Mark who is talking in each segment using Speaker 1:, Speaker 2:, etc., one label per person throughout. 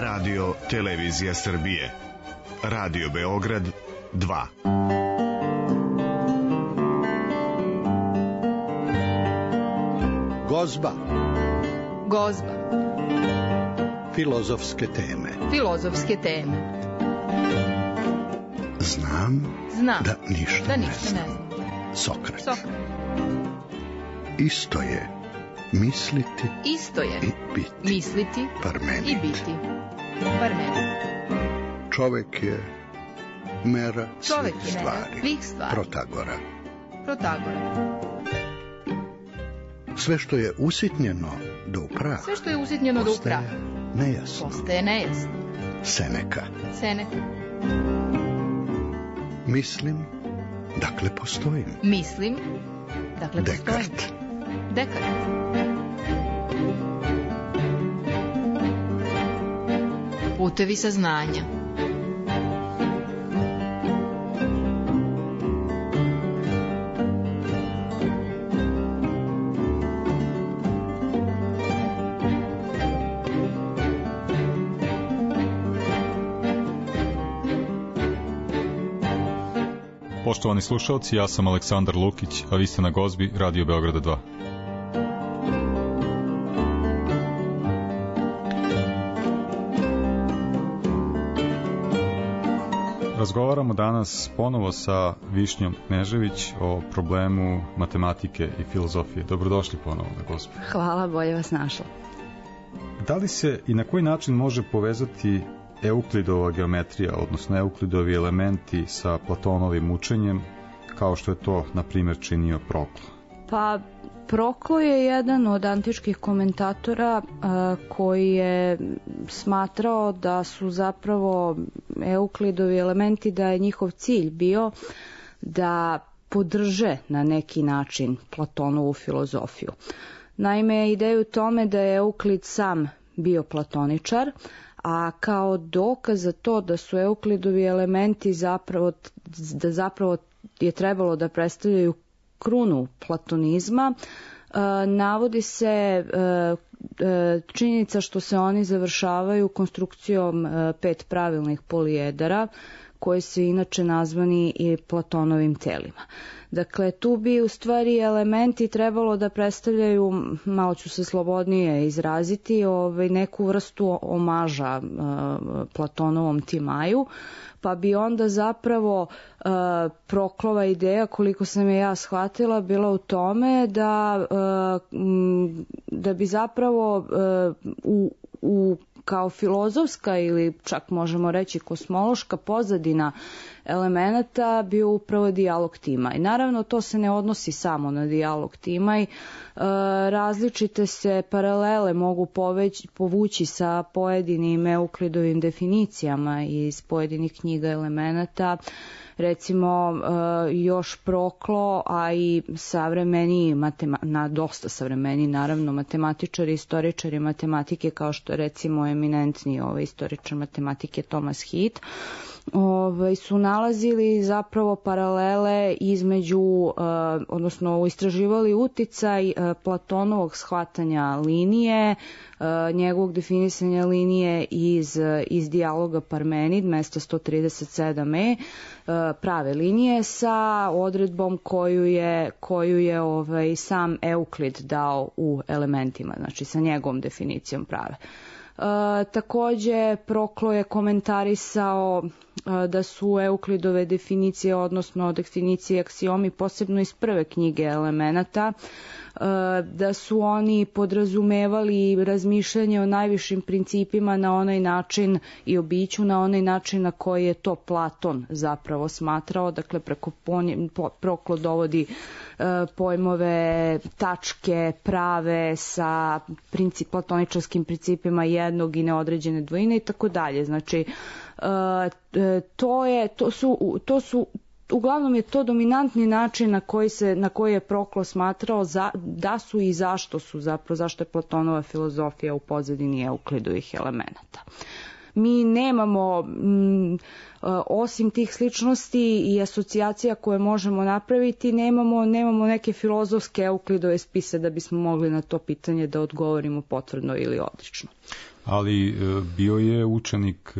Speaker 1: Radio Televizija Srbije. Radio Beograd 2.
Speaker 2: Gozba.
Speaker 3: Gozba.
Speaker 2: Filozofske teme.
Speaker 3: Filozofske teme.
Speaker 2: Znam da ništa ne znam. Sokrat. Isto je misliti i biti.
Speaker 3: Misliti
Speaker 2: Parmenid.
Speaker 3: i biti. Parmenid.
Speaker 2: Čovek je mera svih stvari.
Speaker 3: Protagora.
Speaker 2: Sve što je usitnjeno do upraha. Postaje nejasno. Seneka. Mislim, dakle postojim.
Speaker 3: Dekart. Putevi saznanja.
Speaker 4: Poštovani slušalci, ja sam Aleksandar Lukić, a vi ste na Gozbi Radio Beograda 2. Razgovaramo danas ponovo sa Višnjom Knežević o problemu matematike i filozofije. Dobrodošli ponovo na Gozbi.
Speaker 5: Hvala, bolje vas našla.
Speaker 4: Da li se i na koji način može povezati Euklidova geometrija, odnosno Euklidovi elementi sa Platonovim učenjem, kao što je to, na primjer, činio Proklo?
Speaker 5: Pa, Proklo je jedan od antičkih komentatora koji je smatrao da su zapravo Euklidovi elementi, da je njihov cilj bio da podrže na neki način Platonovu filozofiju. Naime, ideja u tome da je Euklid sam bio platoničar, a kao dokaz za to da su Euklidovi elementi zapravo je trebalo da predstavljaju krunu platonizma, navodi se činjenica što se oni završavaju konstrukcijom 5 pravilnih polijedara, koji su inače nazvani i Platonovim telima. Dakle, tu bi u stvari elementi trebalo da predstavljaju, malo ću se slobodnije izraziti, neku vrstu omaža Platonovom Timaju, pa bi onda zapravo Proklova ideja, koliko sam je ja shvatila, bila u tome da bi zapravo kao filozofska ili čak možemo reći kosmološka pozadina elemenata bio upravo dijalog Timaj. Naravno, to se ne odnosi samo na dijalog Timaj. Različite se paralele mogu povući sa pojedinim Euklidovim definicijama iz pojedinih knjiga elemenata. Recimo, još Proklo, a i savremeni, dosta savremeni, naravno, matematičari, istoričari matematike, kao što je recimo eminentni istoričar matematike Thomas Heath, su nalazili zapravo paralele između, odnosno istraživali uticaj Platonovog shvatanja linije, njegovog definisanja linije iz dijaloga Parmenid, mesta 137e, prave linije, sa odredbom koju je sam Euklid dao u elementima, znači sa njegovom definicijom prave. Takođe, Proklo je komentarisao da su Euklidove definicije, odnosno definicije aksiomi, posebno iz prve knjige elemenata, da su oni podrazumevali razmišljanje o najvišim principima na onaj način i o biću na onaj način na koji je to Platon zapravo smatrao. Dakle, Proklo dovodi pojmove tačke prave sa platoničarskim principima jednog i neodređene dvojine i tako dalje. Znači, to su uglavnom je to dominantni način na koji je Proklo smatrao da su i zašto je Platonova filozofija u pozadini Euklidovih elemenata. Mi nemamo, osim tih sličnosti i asocijacija koje možemo napraviti, nemamo neke filozofske Euklidove spise da bismo mogli na to pitanje da odgovorimo potvrdno ili odlično.
Speaker 4: Ali bio je učenik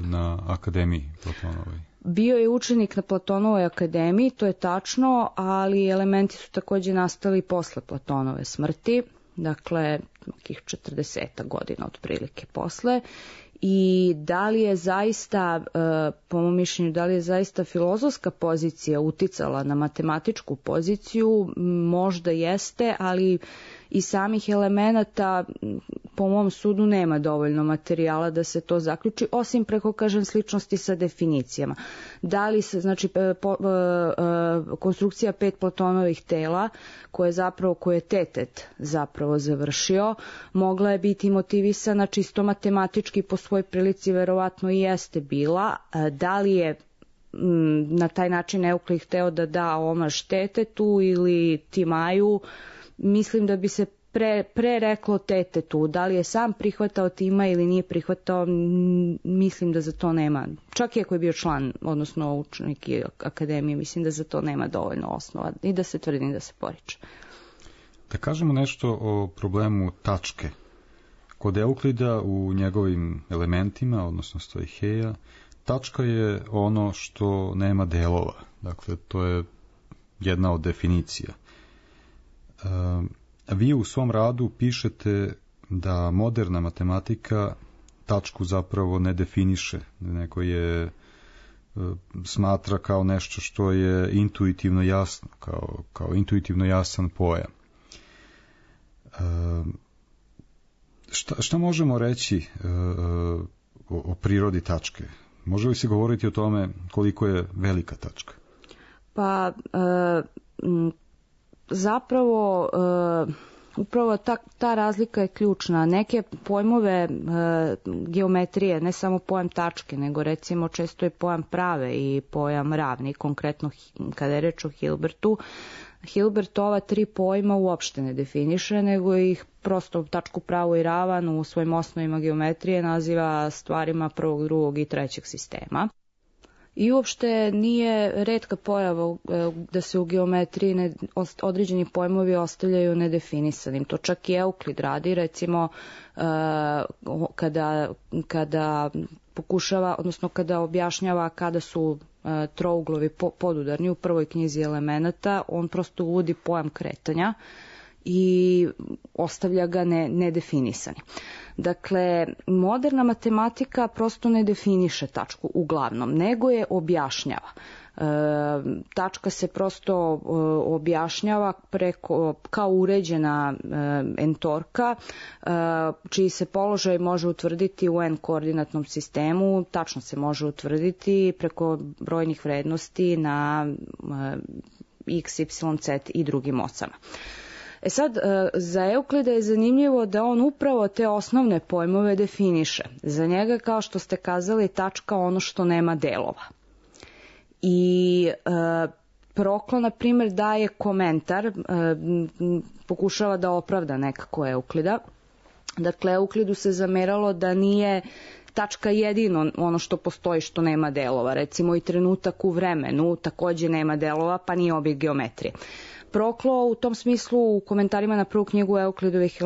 Speaker 4: na akademiji Platonovoj.
Speaker 5: Bio je učenik na Platonovoj akademiji, to je tačno, ali elementi su takođe nastali posle Platonove smrti, dakle, nekih 40 godina otprilike posle. I da li je zaista, po mom mišljenju, da li je zaista filozofska pozicija uticala na matematičku poziciju, možda jeste, ali i samih elemenata, po mom sudu, nema dovoljno materijala da se to zaključi, osim preko, kažem, sličnosti sa definicijama. Da li se, znači, konstrukcija 5 Platonovih tela, koje je Tetet zapravo završio, mogla je biti motivisana čisto matematički, po svoj prilici verovatno i jeste bila. Da li je na taj način Euklid hteo da da omaž Tetetu ili Timaju, mislim da bi se pre reklo Tetetu. Da li je sam prihvatao Tima ili nije prihvatao, mislim da za to nema. Čak i ako je bio član, odnosno učenik akademije, mislim da za to nema dovoljno osnova i da se tvrdi da se poriče.
Speaker 4: Da kažemo nešto o problemu tačke. Kod Euklida u njegovim elementima, odnosno stoiheja, tačka je ono što nema delova. Dakle, to je jedna od definicija. Vi u svom radu pišete da moderna matematika tačku zapravo ne definiše, nego je smatra kao nešto što je intuitivno jasno, kao intuitivno jasan pojam. Šta možemo reći o prirodi tačke? Može li se govoriti o tome koliko je velika tačka?
Speaker 5: Pa, zapravo, upravo ta razlika je ključna. Neke pojmove geometrije, ne samo pojam tačke, nego recimo često je pojam prave i pojam ravni, konkretno kada je reč o Hilbertu. Hilbert ova 3 pojma uopšte ne definiše, nego ih prosto tačku, pravu i ravan u svojim osnovima geometrije naziva stvarima prvog, drugog i trećeg sistema. I uopšte nije retka pojava da se u geometriji određeni pojmovi ostavljaju nedefinisanim. To čak i Euklid radi, recimo kada pokušava, odnosno kada objašnjava kada su trouglovi podudarni u prvoj knjizi elemenata, on prosto uvodi pojam kretanja i ostavlja ga nedefinisan. Dakle, moderna matematika prosto ne definiše tačku uglavnom, nego je objašnjava. Tačka se prosto objašnjava kao uređena entorka, čiji se položaj može utvrditi u n-koordinatnom sistemu, tačno se može utvrditi preko brojnih vrednosti na x, y, z i drugim ocama. Sad, za Euklida je zanimljivo da on upravo te osnovne pojmove definiše. Za njega, kao što ste kazali, tačka ono što nema delova. I Proklo, na primjer, daje komentar, pokušava da opravda nekako Euklida. Dakle, Euklidu se zameralo da nije tačka jedino ono što postoji što nema delova. Recimo i trenutak u vremenu takođe nema delova, pa nije objekt geometrije. Proklo u tom smislu u komentarima na prvu knjigu Euklidovih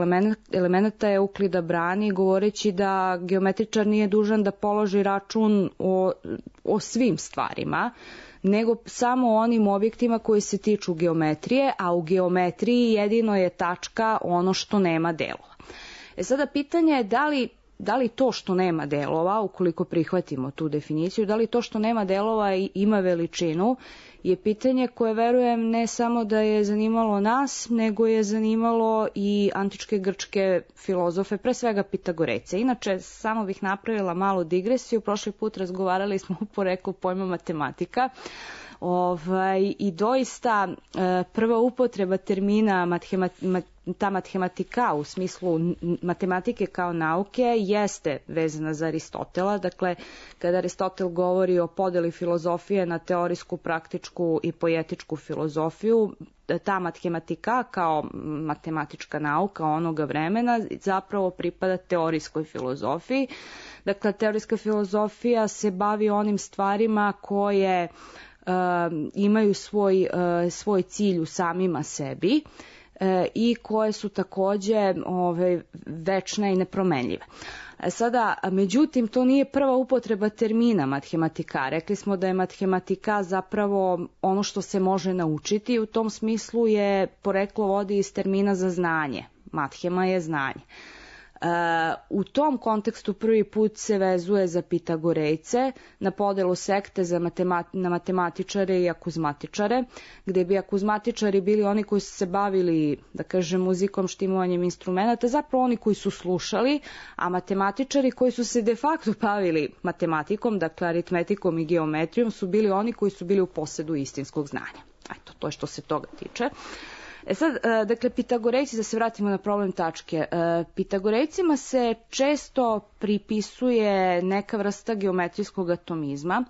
Speaker 5: elemenata Euklida brani govoreći da geometričar nije dužan da položi račun o svim stvarima, nego samo o onim objektima koji se tiču geometrije, a u geometriji jedino je tačka ono što nema delova. Sada pitanje je da li to što nema delova, ukoliko prihvatimo tu definiciju, da li to što nema delova ima veličinu, je pitanje koje verujem ne samo da je zanimalo nas, nego je zanimalo i antičke grčke filozofe, pre svega Pitagorejce. Inače, samo bih napravila malu digresiju, prošli put razgovarali smo o poreklu pojma matematika, i doista prva upotreba termina ta matematika u smislu matematike kao nauke jeste vezana za Aristotela. Dakle, kada Aristotel govori o podeli filozofije na teorijsku, praktičku i poetičku filozofiju, ta matematika kao matematička nauka onoga vremena zapravo pripada teorijskoj filozofiji. Dakle, teorijska filozofija se bavi onim stvarima koje imaju svoj cilj u samima sebi, i koje su takođe večne i nepromenljive. Sada, međutim, to nije prva upotreba termina mathematika. Rekli smo da je mathematika zapravo ono što se može naučiti i u tom smislu je poreklo vodi iz termina za znanje. Mathema je znanje. U tom kontekstu prvi put se vezuje za Pitagorejce na podelu sekte na matematičare i akuzmatičare, gde bi akuzmatičari bili oni koji su se bavili, da kažem, muzikom, štimovanjem instrumenta, zapravo oni koji su slušali, a matematičari koji su se de facto bavili matematikom, dakle aritmetikom i geometrijom, su bili oni koji su bili u posedu istinskog znanja. Eto, to je što se toga tiče. Sad, dakle, Pitagorejci, da se vratimo na problem tačke. Pitagorejcima se često pripisuje neka vrsta geometrijskog atomizma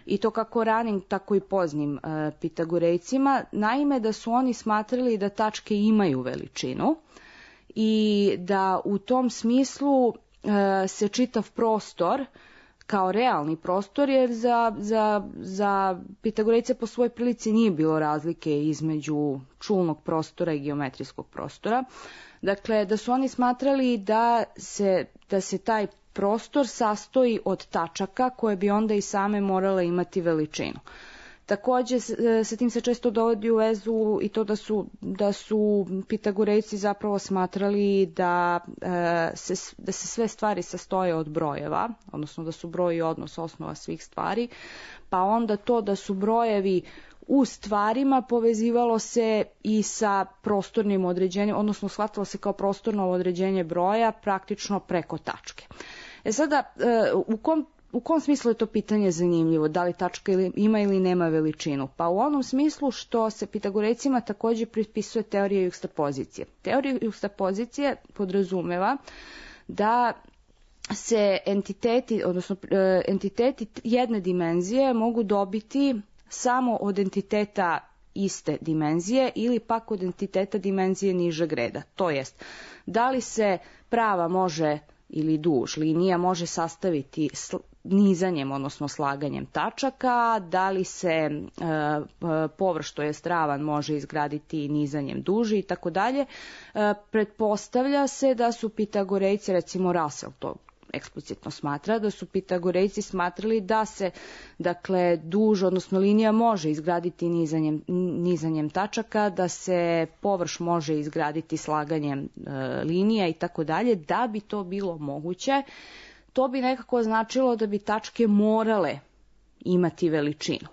Speaker 5: i to kako ranim, tako i poznim Pitagorejcima. Naime, da su oni smatrali da tačke imaju veličinu i da u tom smislu se čitav prostor kao realni prostor, jer za Pitagorejce po svojoj prilici nije bilo razlike između čulnog prostora i geometrijskog prostora. Dakle, da su oni smatrali da se taj prostor sastoji od tačaka koje bi onda i same morale imati veličinu. Takođe, sa tim se često dovodi u vezu i to da su Pitagorejci zapravo smatrali da se sve stvari sastoje od brojeva, odnosno da su broj i odnos osnova svih stvari, pa onda to da su brojevi u stvarima povezivalo se i sa prostornim određenjem, odnosno shvatilo se kao prostorno određenje broja praktično preko tačke. Sada, u kom smislu je to pitanje zanimljivo? Da li tačka ima ili nema veličinu? Pa u onom smislu što se Pitagorejcima takođe pripisuje teorija jukstapozicije. Teorija jukstapozicije podrazumeva da se entiteti jedne dimenzije mogu dobiti samo od entiteta iste dimenzije ili pak od entiteta dimenzije nižeg reda. To jest, da li se prava može ili duž linija može sastaviti nizanjem, odnosno slaganjem tačaka, da li se površ, to jest ravan, može izgraditi nizanjem duži i tako dalje. Pretpostavlja se da su Pitagorejci, recimo Russell to eksplicitno smatra, da su Pitagorejci smatrali da se, dakle, duž, odnosno linija može izgraditi nizanjem tačaka, da se površ može izgraditi slaganjem linija i tako dalje. Da bi to bilo moguće, to bi nekako značilo da bi tačke morale imati veličinu.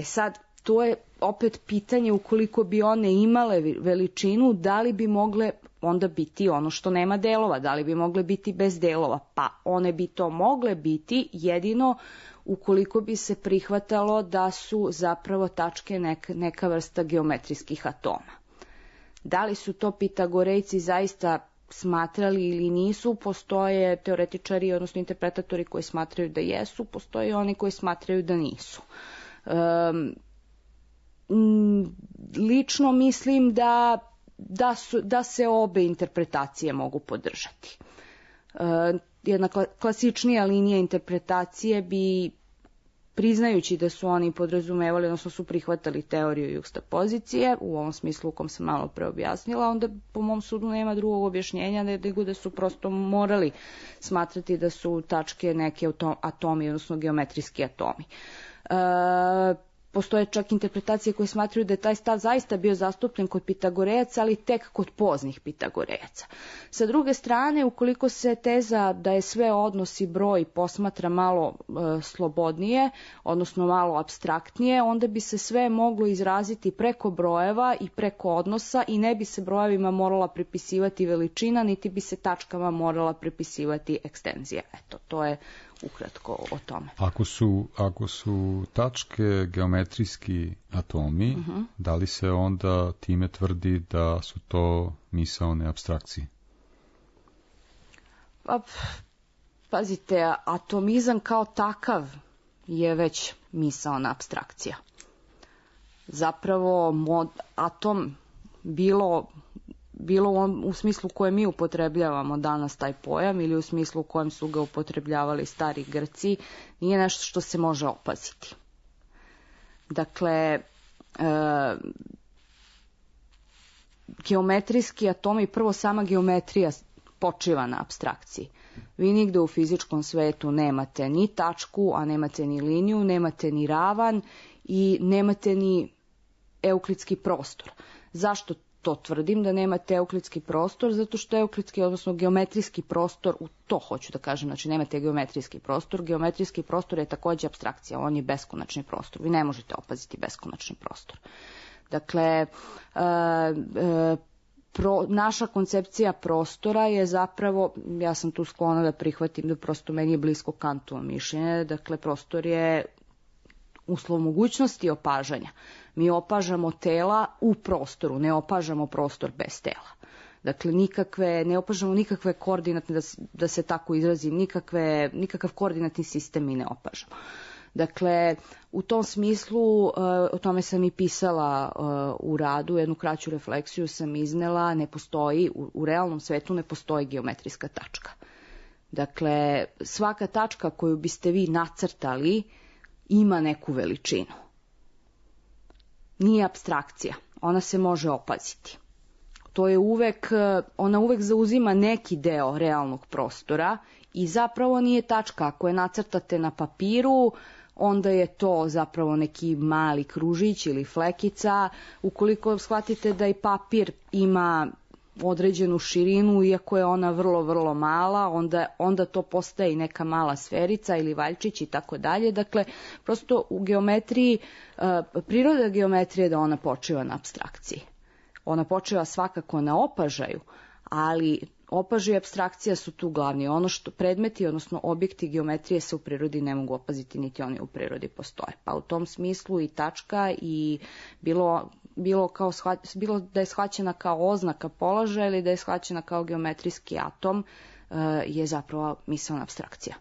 Speaker 5: Sad, to je opet pitanje, ukoliko bi one imale veličinu, da li bi mogle onda biti ono što nema delova, da li bi mogle biti bez delova? Pa one bi to mogle biti jedino ukoliko bi se prihvatalo da su zapravo tačke neka vrsta geometrijskih atoma. Da li su to Pitagorejci zaista smatrali ili nisu? Postoje teoretičari, odnosno interpretatori koji smatraju da jesu, postoje oni koji smatraju da nisu. Lično mislim da se obe interpretacije mogu podržati. Jedna klasičnija linija interpretacije bi, priznajući da su oni podrazumevali, odnosno su prihvatali teoriju jukstapozicije, u ovom smislu u kom sam malo pre objasnila, onda po mom sudu nema drugog objašnjenja nego da su prosto morali smatrati da su tačke neke atomi, odnosno geometrijski atomi. Postoje čak interpretacije koje smatraju da je taj stav zaista bio zastupljen kod Pitagorejaca, ali tek kod poznih Pitagorejaca. Sa druge strane, ukoliko se teza da je sve odnos i broj posmatra malo slobodnije, odnosno malo apstraktnije, onda bi se sve moglo izraziti preko brojeva i preko odnosa i ne bi se brojevima morala pripisivati veličina, niti bi se tačkama morala pripisivati ekstenzija. Eto, to je ukratko o tome.
Speaker 4: Ako su tačke geometrijski atomi, da li se onda time tvrdi da su to misaone apstrakcije?
Speaker 5: Pazite, atomizam kao takav je već misaona apstrakcija. Zapravo atom bilo u smislu koje mi upotrebljavamo danas taj pojam ili u smislu u kojem su ga upotrebljavali stari Grci, nije nešto što se može opaziti. Dakle, geometrijski atomi, prvo sama geometrija počiva na apstrakciji. Vi nigde u fizičkom svetu nemate ni tačku, a nemate ni liniju, nemate ni ravan i nemate ni euklidski prostor. Zašto to tvrdim da nemate euklidski prostor? Zato što euklidski, odnosno geometrijski prostor, u to hoću da kažem, znači nemate geometrijski prostor. Geometrijski prostor je takođe apstrakcija, on je beskonačni prostor. Vi ne možete opaziti beskonačni prostor. Dakle, naša koncepcija prostora je zapravo, ja sam tu sklona da prihvatim da prosto meni je blisko Kantovo mišljenje, dakle prostor je uslov mogućnosti opažanja. Mi opažamo tela u prostoru, ne opažamo prostor bez tela. Dakle, ne opažamo nikakve koordinatne, da se tako izrazim, nikakav koordinatni sistem mi ne opažamo. Dakle, u tom smislu, o tome sam i pisala u radu, jednu kraću refleksiju sam iznela, ne postoji, u realnom svetu ne postoji geometrijska tačka. Dakle, svaka tačka koju biste vi nacrtali ima neku veličinu. Nije apstrakcija, ona se može opaziti. Ona uvek zauzima neki deo realnog prostora i zapravo nije tačka. Ako je nacrtate na papiru, onda je to zapravo neki mali kružić ili flekica. Ukoliko shvatite da i papir ima određenu širinu, iako je ona vrlo, vrlo mala, onda to postaje i neka mala sferica ili valjčić i tako dalje. Dakle, prosto u geometriji, priroda geometrije je da ona počiva na apstrakciji. Ona počiva svakako na opažaju, ali opažaj i apstrakcija su tu glavni. Ono što predmeti, odnosno objekti geometrije se u prirodi ne mogu opaziti, niti oni u prirodi postoje. Pa u tom smislu i tačka i bilo da je shvaćena kao oznaka položaja ili da je shvaćena kao geometrijski atom, je zapravo misaona apstrakcija.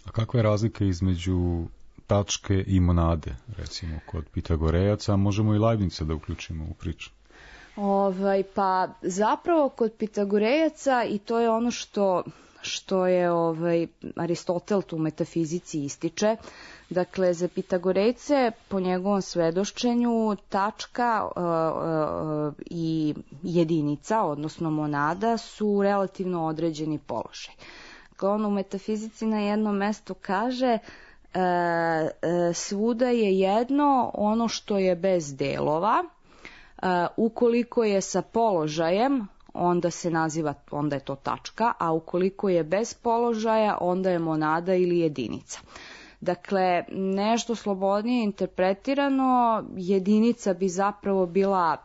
Speaker 4: A kakva je razlika između tačke i monade, recimo kod Pitagorejaca, a možemo i Leibnica da uključimo u priču?
Speaker 5: Pa zapravo kod Pitagorejaca, i to je ono što je Aristotel tu u metafizici ističe, dakle za Pitagorejce po njegovom svedočenju tačka i jedinica, odnosno monada, su relativno određeni položaj. Dakle, on u metafizici na jednom mestu kaže svuda je jedno ono što je bez delova. Ukoliko je sa položajem, onda je to tačka, a ukoliko je bez položaja, onda je monada ili jedinica. Dakle, nešto slobodnije interpretirano, jedinica bi zapravo bila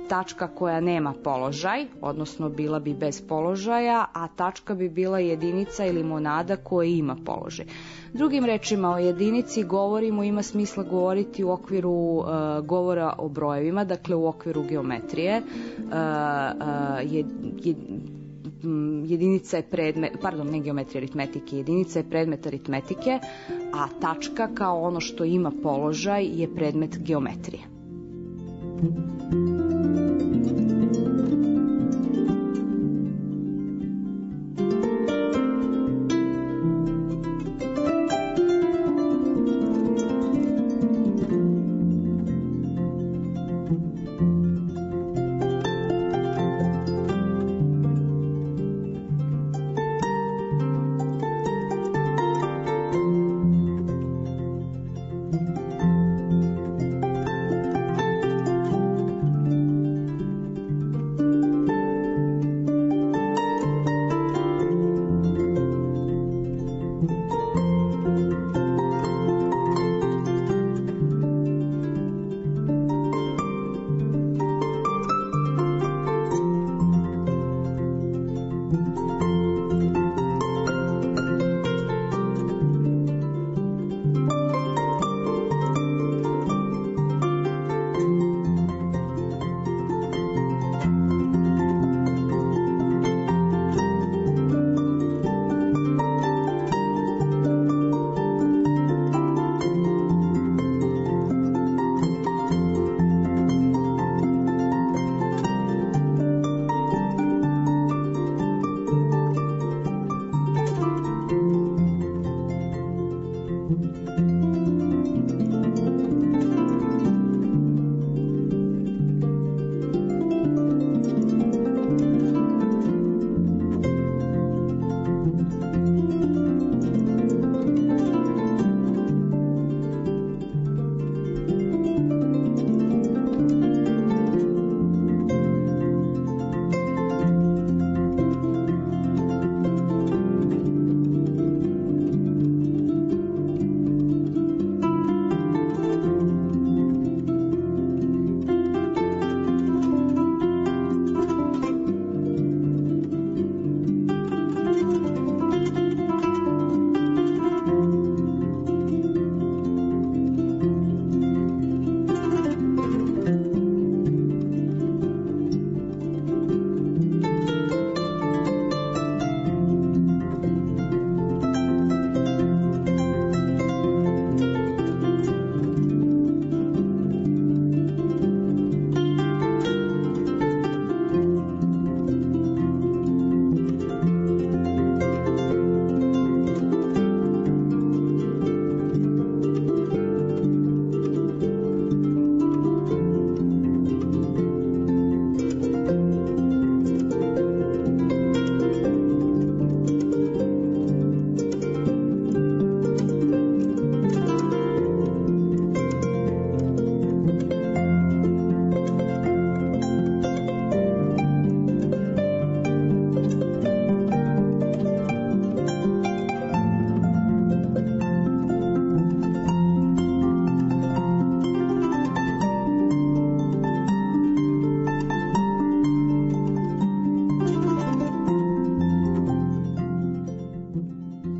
Speaker 5: tačka koja nema položaj, odnosno bila bi bez položaja, a tačka bi bila jedinica ili monada koja ima položaj. Drugim rečima, o jedinici govorimo, ima smisla govoriti u okviru govora o brojevima, dakle u okviru geometrije. Jedinica je predmet, ne geometrije, aritmetike, jedinica je predmet aritmetike, a tačka kao ono što ima položaj je predmet geometrije.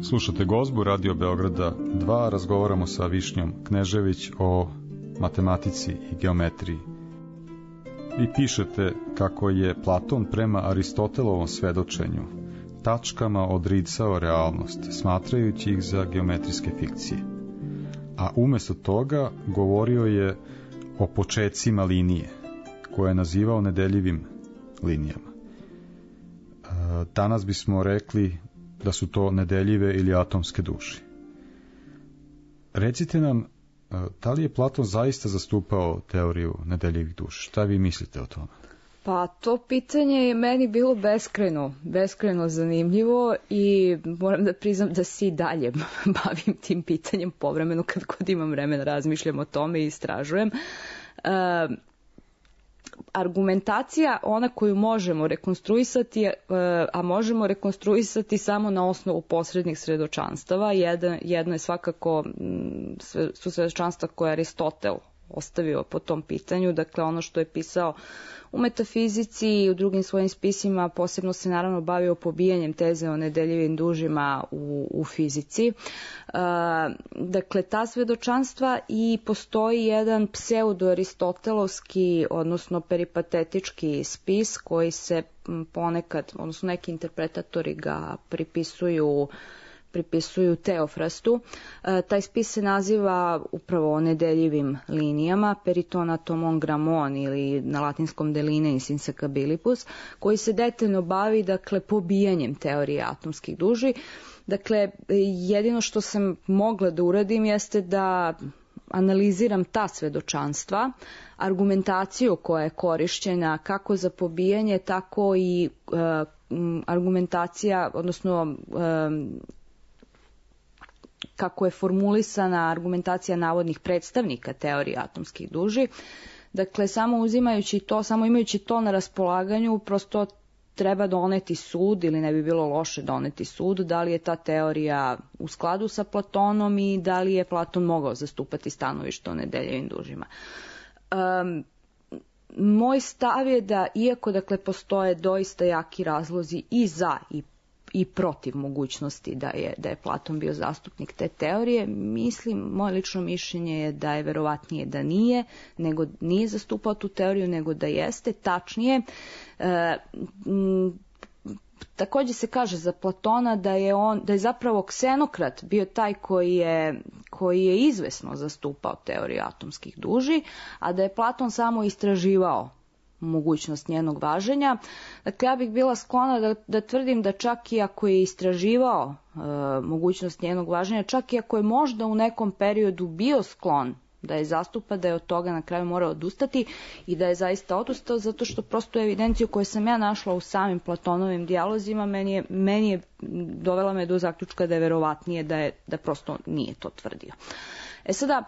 Speaker 4: Slušate Gozbu Radio Beograda 2, razgovaramo sa Višnjom Knežević o matematici i geometriji. Vi pišete kako je Platon prema Aristotelovom svedočenju tačkama odricao realnost, smatrajući ih za geometrijske fikcije. A umesto toga govorio je o počecima linije, koje je nazivao nedeljivim linijama. Danas bismo rekli da su to nedeljive ili atomske duše. Recite nam, da li je Platon zaista zastupao teoriju nedeljivih duša? Šta vi mislite o tome?
Speaker 5: Pa to pitanje je meni bilo beskrajno zanimljivo i moram da priznam da se i dalje bavim tim pitanjem povremeno kad god imam vremena, razmišljam o tome i istražujem. Argumentacija, ona koju možemo rekonstruisati, a možemo rekonstruisati samo na osnovu posrednih svedočanstava. Jedno je svakako su svedočanstva koje Aristotel ostavio po tom pitanju, dakle ono što je pisao u metafizici i u drugim svojim spisima, posebno se naravno bavio pobijanjem teze o nedeljivim dužima u fizici. Dakle, ta svedočanstva i postoji jedan pseudo-aristotelovski, odnosno peripatetički spis koji se ponekad, odnosno neki interpretatori ga pripisuju Teofrastu. Taj spis se naziva upravo nedeljivim linijama, peritonatomon gramon ili na latinskom de lineis insecabilibus, koji se detaljno bavi, dakle, pobijanjem teorije atomskih duži. Dakle, jedino što sam mogla da uradim jeste da analiziram ta svedočanstva, argumentaciju koja je korišćena kako za pobijanje, tako i argumentacija, odnosno kako je formulisana argumentacija navodnih predstavnika teorije atomskih duži. Dakle, samo imajući to na raspolaganju, prosto treba doneti sud, ili ne bi bilo loše doneti sud, da li je ta teorija u skladu sa Platonom i da li je Platon mogao zastupati stanovište o nedeljivim dužima. Moj stav je da, iako dakle postoje doista jaki razlozi i za i protiv mogućnosti da je Platon bio zastupnik te teorije, moje lično mišljenje je da je verovatnije da nije zastupao tu teoriju, nego da jeste. Tačnije, također se kaže za Platona da je zapravo Ksenokrat bio taj koji je izvesno zastupao teoriju atomskih duži, a da je Platon samo istraživao mogućnost njenog važenja. Dakle, ja bih bila sklona da tvrdim da čak i ako je istraživao mogućnost njenog važenja, čak i ako je možda u nekom periodu bio sklon da je zastupa, da je od toga na kraju morao odustati i da je zaista odustao, zato što prosto evidenciju koju sam ja našla u samim Platonovim dijalozima meni je dovela me do zaključka da je verovatnije da prosto nije to tvrdio. Sada,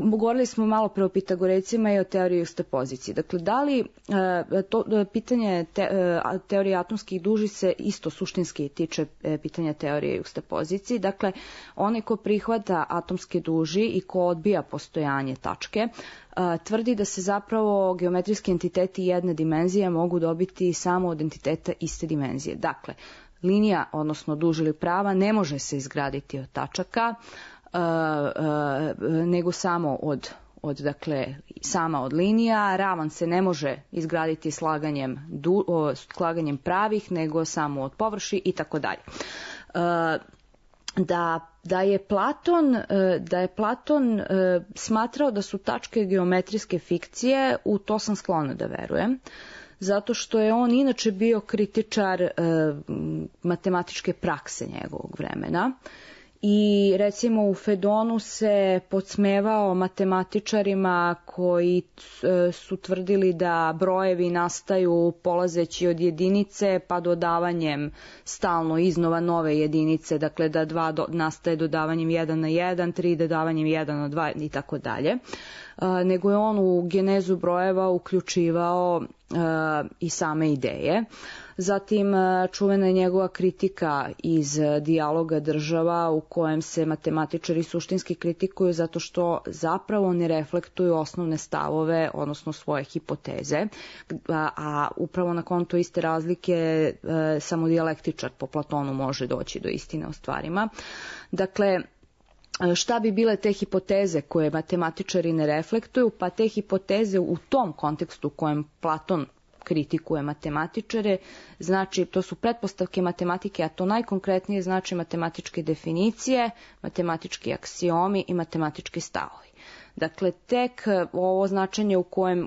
Speaker 5: govorili smo malo pre o Pitagorecima i o teoriji juxtapozicije. Dakle, da li pitanje teorije atomskih duži se isto suštinski tiče pitanja teorije juxtapozicije. Dakle, onaj ko prihvata atomske duži i ko odbija postojanje tačke, tvrdi da se zapravo geometrijski entiteti jedne dimenzije mogu dobiti samo od entiteta iste dimenzije. Dakle, linija, odnosno duž ili prava, ne može se izgraditi od tačaka, nego samo sama od linija. Ravan se ne može izgraditi slaganjem pravih, nego samo od površi i tako dalje. Da je Platon smatrao da su tačke geometrijske fikcije, u to sam sklona da verujem, zato što je on inače bio kritičar matematičke prakse njegovog vremena i recimo u Fedonu se podsmevao matematičarima koji su tvrdili da brojevi nastaju polazeći od jedinice pa dodavanjem stalno iznova nove jedinice, dakle da 2 nastaje dodavanjem 1 na 1, 3 dodavanjem 1 na 2 i tako dalje. Nego je on u genezu brojeva uključivao i same ideje. Zatim čuvena je njegova kritika iz Dijaloga država u kojem se matematičari suštinski kritikuju zato što zapravo ne reflektuju osnovne stavove, odnosno svoje hipoteze, a upravo na konto iste razlike samo dijalektičar po Platonu može doći do istine o stvarima. Dakle, šta bi bile te hipoteze koje matematičari ne reflektuju? Pa te hipoteze u tom kontekstu u kojem Platon kritikuje matematičare, znači to su pretpostavke matematike, a to najkonkretnije znači matematičke definicije, matematički aksiomi i matematički stavovi. Dakle, tek ovo značenje u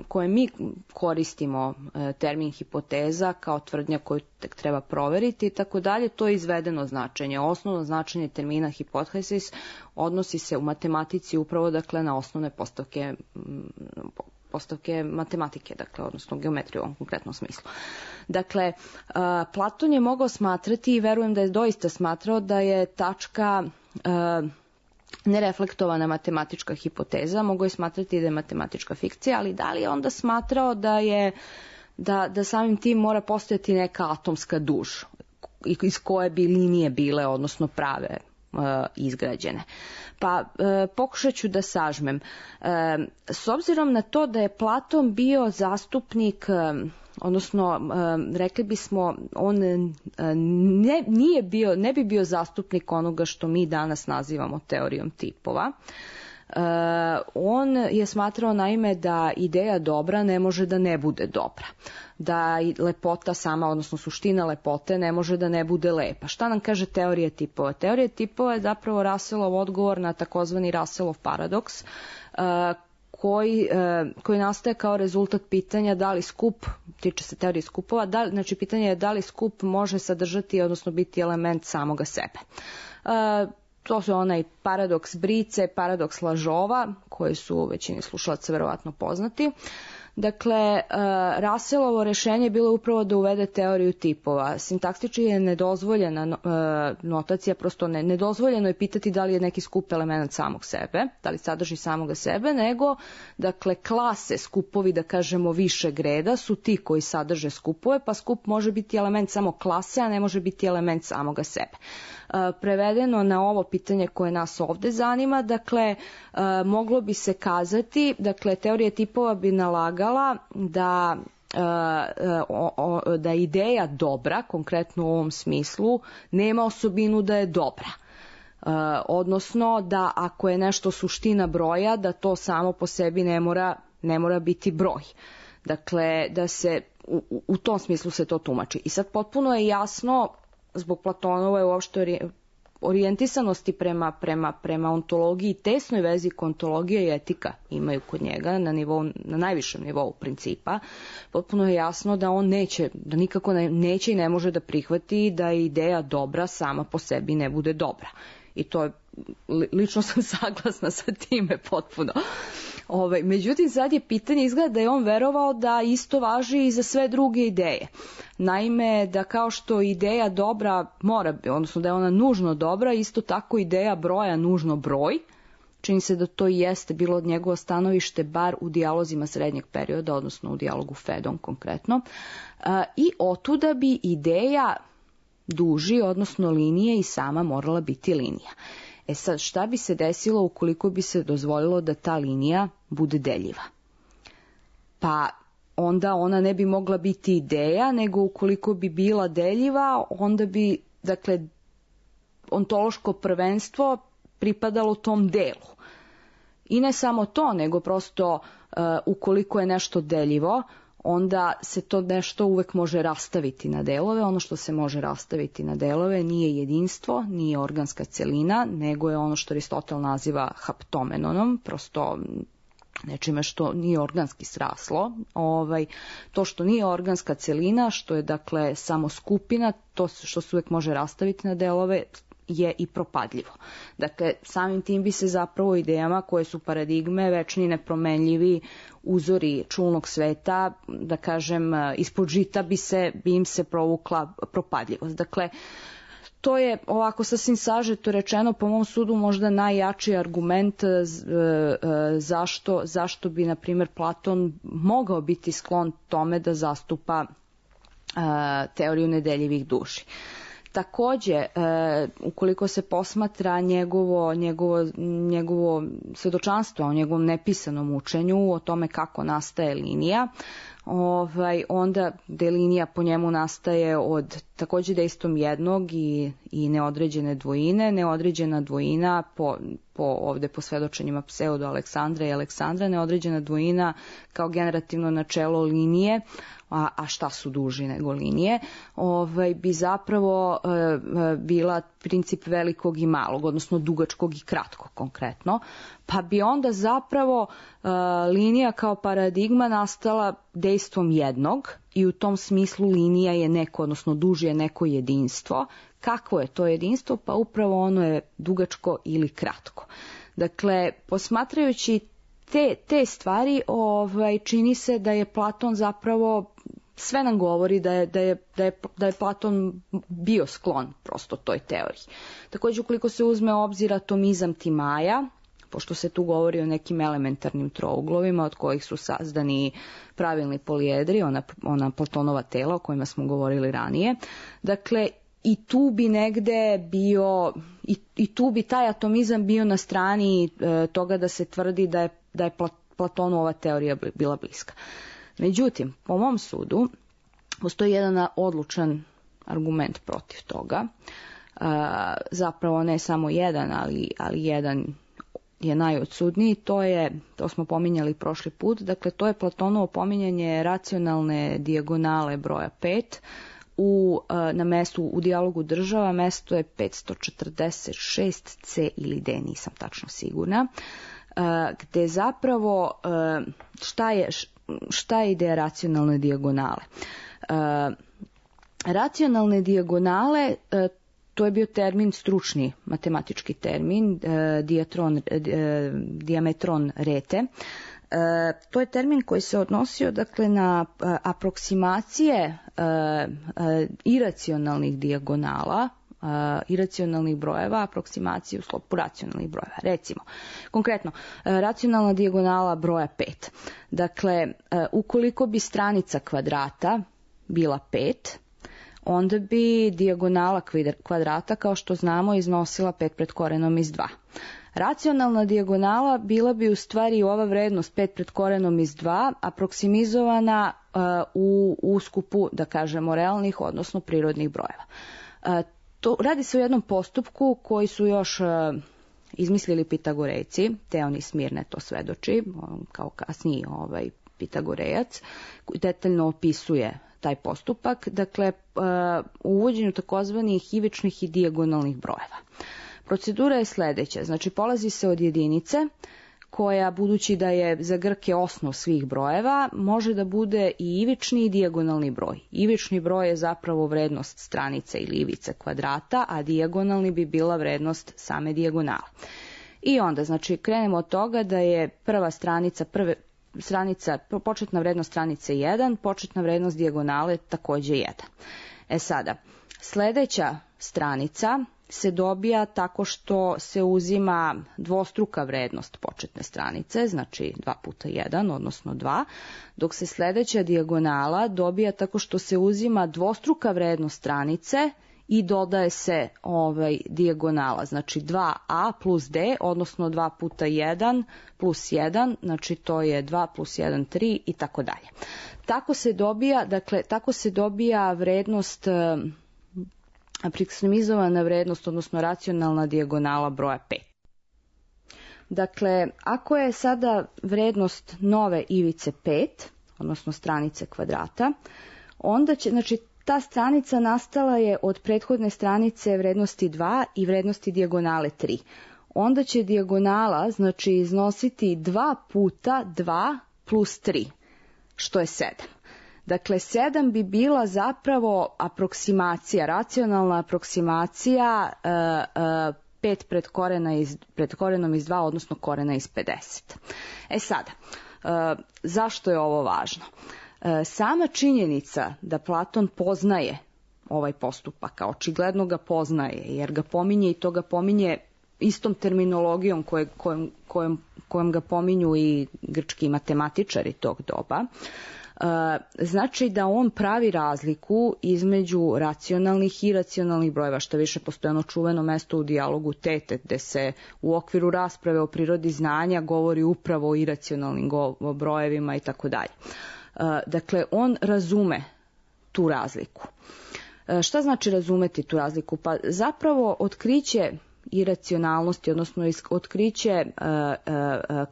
Speaker 5: kojem mi koristimo termin hipoteza kao tvrdnja koju tek treba proveriti i tako dalje, to je izvedeno značenje. Osnovno značenje termina hipotesis odnosi se u matematici upravo dakle na osnovne postavke matematike, dakle, odnosno geometrije u ovom konkretnom smislu. Dakle, Platon je mogao smatrati i verujem da je doista smatrao da je tačka nereflektovana matematička hipoteza, mogu je smatrati da je matematička fikcija, ali da li je onda smatrao da samim tim mora postojati neka atomska duž iz koje bi linije bile, odnosno prave izgrađene. Pa pokušat ću da sažmem. S obzirom na to da je Platon bio zastupnik, odnosno rekli bismo on ne bi bio zastupnik onoga što mi danas nazivamo teorijom tipova. On je smatrao naime da ideja dobra ne može da ne bude dobra, da lepota sama, odnosno suština lepote ne može da ne bude lepa. Šta nam kaže teorija tipova? Teorija tipova je zapravo Russellov odgovor na takozvani Russellov paradoks, koji nastaje kao rezultat pitanja da li skup, tiče se teorije skupova, znači pitanje je da li skup može sadržati, odnosno biti element samoga sebe. To su onaj paradoks brice, paradoks lažova, koji su u većini slušalaca verovatno poznati. Dakle, Russellovo rešenje je bilo upravo da uvede teoriju tipova. Sintaktički je nedozvoljena notacija, prosto nedozvoljeno je pitati da li je neki skup element samog sebe, da li sadrži samoga sebe, nego, dakle, klase, skupovi, da kažemo, višeg reda su ti koji sadrže skupove, pa skup može biti element samo klase, a ne može biti element samoga sebe. Prevedeno na ovo pitanje koje nas ovde zanima, dakle, moglo bi se kazati, dakle, teorija tipova bi nalagala da ideja dobra, konkretno u ovom smislu, nema osobinu da je dobra. Odnosno da ako je nešto suština broja, da to samo po sebi ne mora biti broj. Dakle, da se u tom smislu se to tumači. I sad potpuno je jasno zbog Platonove uopšte orijentisanosti prema ontologiji, tesnoj vezi ontologija i etika imaju kod njega na najvišem nivou principa, potpuno je jasno da on nikako neće i ne može da prihvati da ideja dobra sama po sebi ne bude dobra. I to je, lično sam saglasna sa time potpuno. Međutim, sad je pitanje, izgleda da je on verovao da isto važi i za sve druge ideje. Naime, da kao što ideja dobra odnosno da je ona nužno dobra, isto tako ideja broja nužno broj. Čini se da to i jeste bilo od njegovo stanovište, bar u dijalozima srednjeg perioda, odnosno u dijalogu Fedon konkretno. I otuda bi ideja duži, odnosno linije, i sama morala biti linija. E sad, šta bi se desilo ukoliko bi se dozvolilo da ta linija bude deljiva? Pa onda ona ne bi mogla biti ideja, nego ukoliko bi bila deljiva, onda bi, dakle, ontološko prvenstvo pripadalo tom delu. I ne samo to, nego prosto ukoliko je nešto deljivo, onda se to nešto uvek može rastaviti na delove. Ono što se može rastaviti na delove nije jedinstvo, nije organska celina, nego je ono što Aristotel naziva haptomenonom, prosto nečime što nije organski sraslo. To što nije organska celina, što je dakle samo skupina, to što se uvek može rastaviti na delove, je i propadljivo. Dakle, samim tim bi se zapravo idejama koje su paradigme, večni, nepromenljivi uzori čulnog sveta, da kažem, ispod žita bi im se provukla propadljivost. Dakle, to je ovako sasvim sažeto rečeno, po mom sudu možda najjači argument zašto bi, na primjer, Platon mogao biti sklon tome da zastupa teoriju nedeljivih duži. Takođe, ukoliko se posmatra njegovo svedočanstvo o njegovom nepisanom učenju, o tome kako nastaje linija, onda gde linija po njemu nastaje od takođe dejstvom jednog i neodređene dvojine. Neodređena dvojina ovde po svedočenjima Pseudo Aleksandra i Aleksandra, neodređena dvojina kao generativno načelo linije, a šta su duži nego linije, bi zapravo bila princip velikog i malog, odnosno dugačkog i kratkog konkretno, pa bi onda zapravo linija kao paradigma nastala dejstvom jednog i u tom smislu linija je neko, odnosno duži je neko jedinstvo. Kakvo je to jedinstvo? Pa upravo ono je dugačko ili kratko. Dakle, posmatrajući te stvari, čini se da je Platon zapravo, sve nam govori da je Platon bio sklon prosto toj teoriji. Takođe, ukoliko se uzme u obzir atomizam Timaja, pošto se tu govori o nekim elementarnim trouglovima od kojih su sazdani pravilni polijedri, ona Platonova tela o kojima smo govorili ranije, dakle, i tu bi negde bio, i tu bi taj atomizam bio na strani toga da se tvrdi da je Platonu ova teorija bila bliska. Međutim, po mom sudu, postoji jedan odlučan argument protiv toga. Zapravo ne samo jedan, ali jedan je najodsudniji. To smo pominjali prošli put, dakle to je Platonovo pominjanje racionalne dijagonale broja 5, na mestu u dijalogu država, mesto je 546C ili D, nisam tačno sigurna, gde zapravo šta je ideja racionalne dijagonale? Racionalne dijagonale, to je bio termin, stručni matematički termin, diametron rete. To je termin koji se odnosio, dakle, na aproksimacije iracionalnih dijagonala, iracionalnih brojeva, aproksimaciju u sklopu racionalnih brojeva. Recimo, konkretno, racionalna dijagonala broja 5. Dakle, ukoliko bi stranica kvadrata bila 5, onda bi dijagonala kvadrata, kao što znamo, iznosila 5 pred korenom iz 2. Racionalna dijagonala bila bi u stvari ova vrednost 5 pred korenom iz 2 aproksimizovana u uskupu, da kažemo, realnih, odnosno prirodnih brojeva. Radi se o jednom postupku koji su još izmislili Pitagorejci, Teonis Smirne to svedoči, kao kasniji Pitagorejac, koji detaljno opisuje taj postupak, dakle u uvođenju takozvanih ivičnih i dijagonalnih brojeva. Procedura je sledeća, znači polazi se od jedinice koja, budući da je za Grke osnov svih brojeva, može da bude i ivični i dijagonalni broj. Ivični broj je zapravo vrednost stranice ili ivice kvadrata, a dijagonalni bi bila vrednost same dijagonale. I onda, znači, krenemo od toga da je početna vrednost stranice 1, početna vrednost dijagonale takođe 1. Sada, sledeća stranica se dobija tako što se uzima dvostruka vrednost početne stranice, znači 2 puta 1, odnosno 2, dok se sledeća dijagonala dobija tako što se uzima dvostruka vrednost stranice i dodaje se dijagonala, znači 2a plus d, odnosno 2 puta 1 plus 1, znači to je 2 plus 1, 3 i tako dalje. Tako se dobija vrednost, aproksimizovana vrednost, odnosno racionalna dijagonala broja 5. Dakle, ako je sada vrednost nove ivice 5, odnosno stranice kvadrata, onda će, znači, ta stranica nastala je od prethodne stranice vrednosti 2 i vrednosti dijagonale 3. Onda će dijagonala, znači, iznositi 2 puta 2 plus 3, što je 7. Dakle, 7 bi bila zapravo aproksimacija, racionalna aproksimacija 5 pred korenom iz 2, odnosno korena iz 50. Sada, zašto je ovo važno? Sama činjenica da Platon poznaje ovaj postupak, a očigledno ga poznaje, jer ga pominje i to ga pominje istom terminologijom kojom ga pominju i grčki matematičari tog doba, Znači da on pravi razliku između racionalnih i iracionalnih brojeva, što više postoji ono čuveno mesto u dijalogu Tete, gde se u okviru rasprave o prirodi znanja govori upravo o iracionalnim brojevima i tako dalje. Dakle, on razume tu razliku. Šta znači razumeti tu razliku? Pa zapravo otkriće iracionalnosti, odnosno otkriće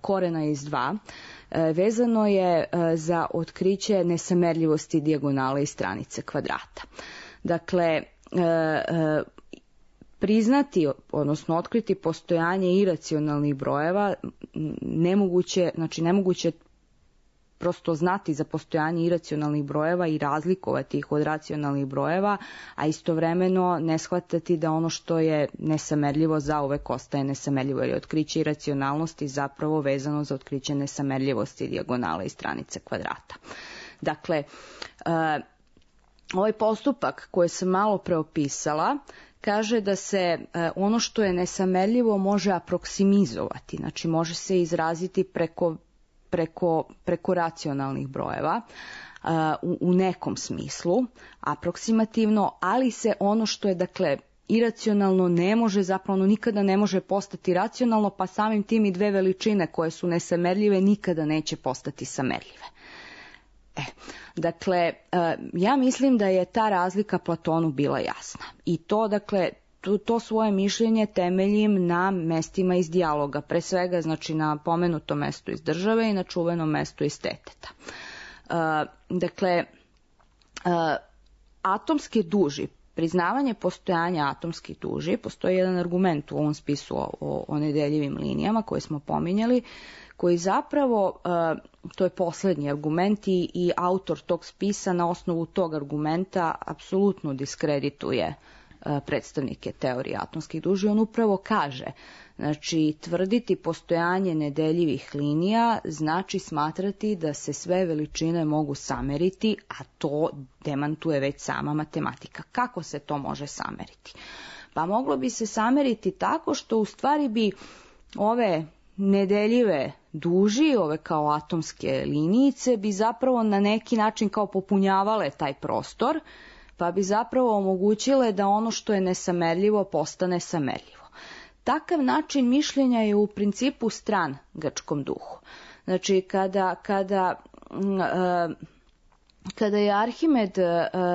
Speaker 5: korena iz 2, vezano je za otkriće nesamerljivosti dijagonale i stranice kvadrata. Dakle, priznati, odnosno otkriti postojanje iracionalnih brojeva nemoguće prosto znati za postojanje iracionalnih brojeva i razlikovati ih od racionalnih brojeva, a istovremeno ne shvatati da ono što je nesamerljivo zauvek ostaje nesamerljivo, jer je otkriće iracionalnosti zapravo vezano za otkriće nesamerljivosti dijagonale i stranice kvadrata. Dakle, ovaj postupak koji sam malo preopisala kaže da se ono što je nesamerljivo može aproksimizovati, znači može se izraziti preko racionalnih brojeva u nekom smislu, aproksimativno, ali se ono što je dakle iracionalno ne može, zapravo nikada ne može postati racionalno, pa samim tim i dve veličine koje su nesamerljive nikada neće postati samerljive. Dakle, ja mislim da je ta razlika Platonu bila jasna i to, dakle, to svoje mišljenje temeljim na mestima iz dijaloga, pre svega znači na pomenutom mestu iz Države i na čuvenom mestu iz Teteta. Dakle, atomske duži, priznavanje postojanja atomskih duži, postoji jedan argument u ovom spisu o nedeljivim linijama koje smo pominjali, koji zapravo, to je poslednji argument i autor tog spisa na osnovu tog argumenta apsolutno diskredituje predstavnike teorije atomskih duži. On upravo kaže, znači tvrditi postojanje nedeljivih linija znači smatrati da se sve veličine mogu sameriti, a to demantuje već sama matematika. Kako se to može sameriti? Pa moglo bi se sameriti tako što u stvari bi ove nedeljive duži, ove kao atomske linijice, bi zapravo na neki način kao popunjavale taj prostor, pa bi zapravo omogućile da ono što je nesamerljivo postane samerljivo. Takav način mišljenja je u principu stran grčkom duhu. Znači, kada je Arhimed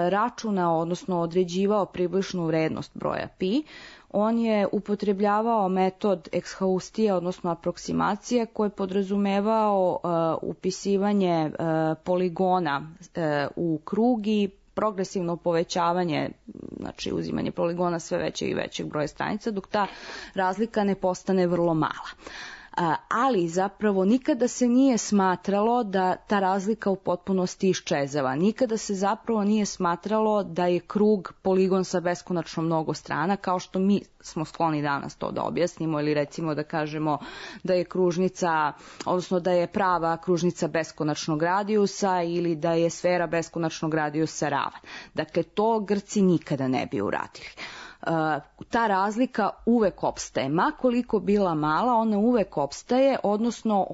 Speaker 5: računao, odnosno određivao približnu vrednost broja pi, on je upotrebljavao metod ekshaustija, odnosno aproksimacije, koji je podrazumevao upisivanje poligona u krug i progresivno povećavanje, znači uzimanje poligona sve većeg i većeg broja stranica, dok ta razlika ne postane vrlo mala. Ali zapravo nikada se nije smatralo da ta razlika u potpunosti iščezava. Nikada se zapravo nije smatralo da je krug poligon sa beskonačno mnogo strana, kao što mi smo skloni danas to da objasnimo, ili recimo da kažemo da je kružnica, odnosno da je prava kružnica beskonačnog radijusa ili da je sfera beskonačnog radijusa ravan. Dakle, to Grci nikada ne bi uradili. Ta razlika uvek opstaje, ma koliko bila mala, ona uvek opstaje, odnosno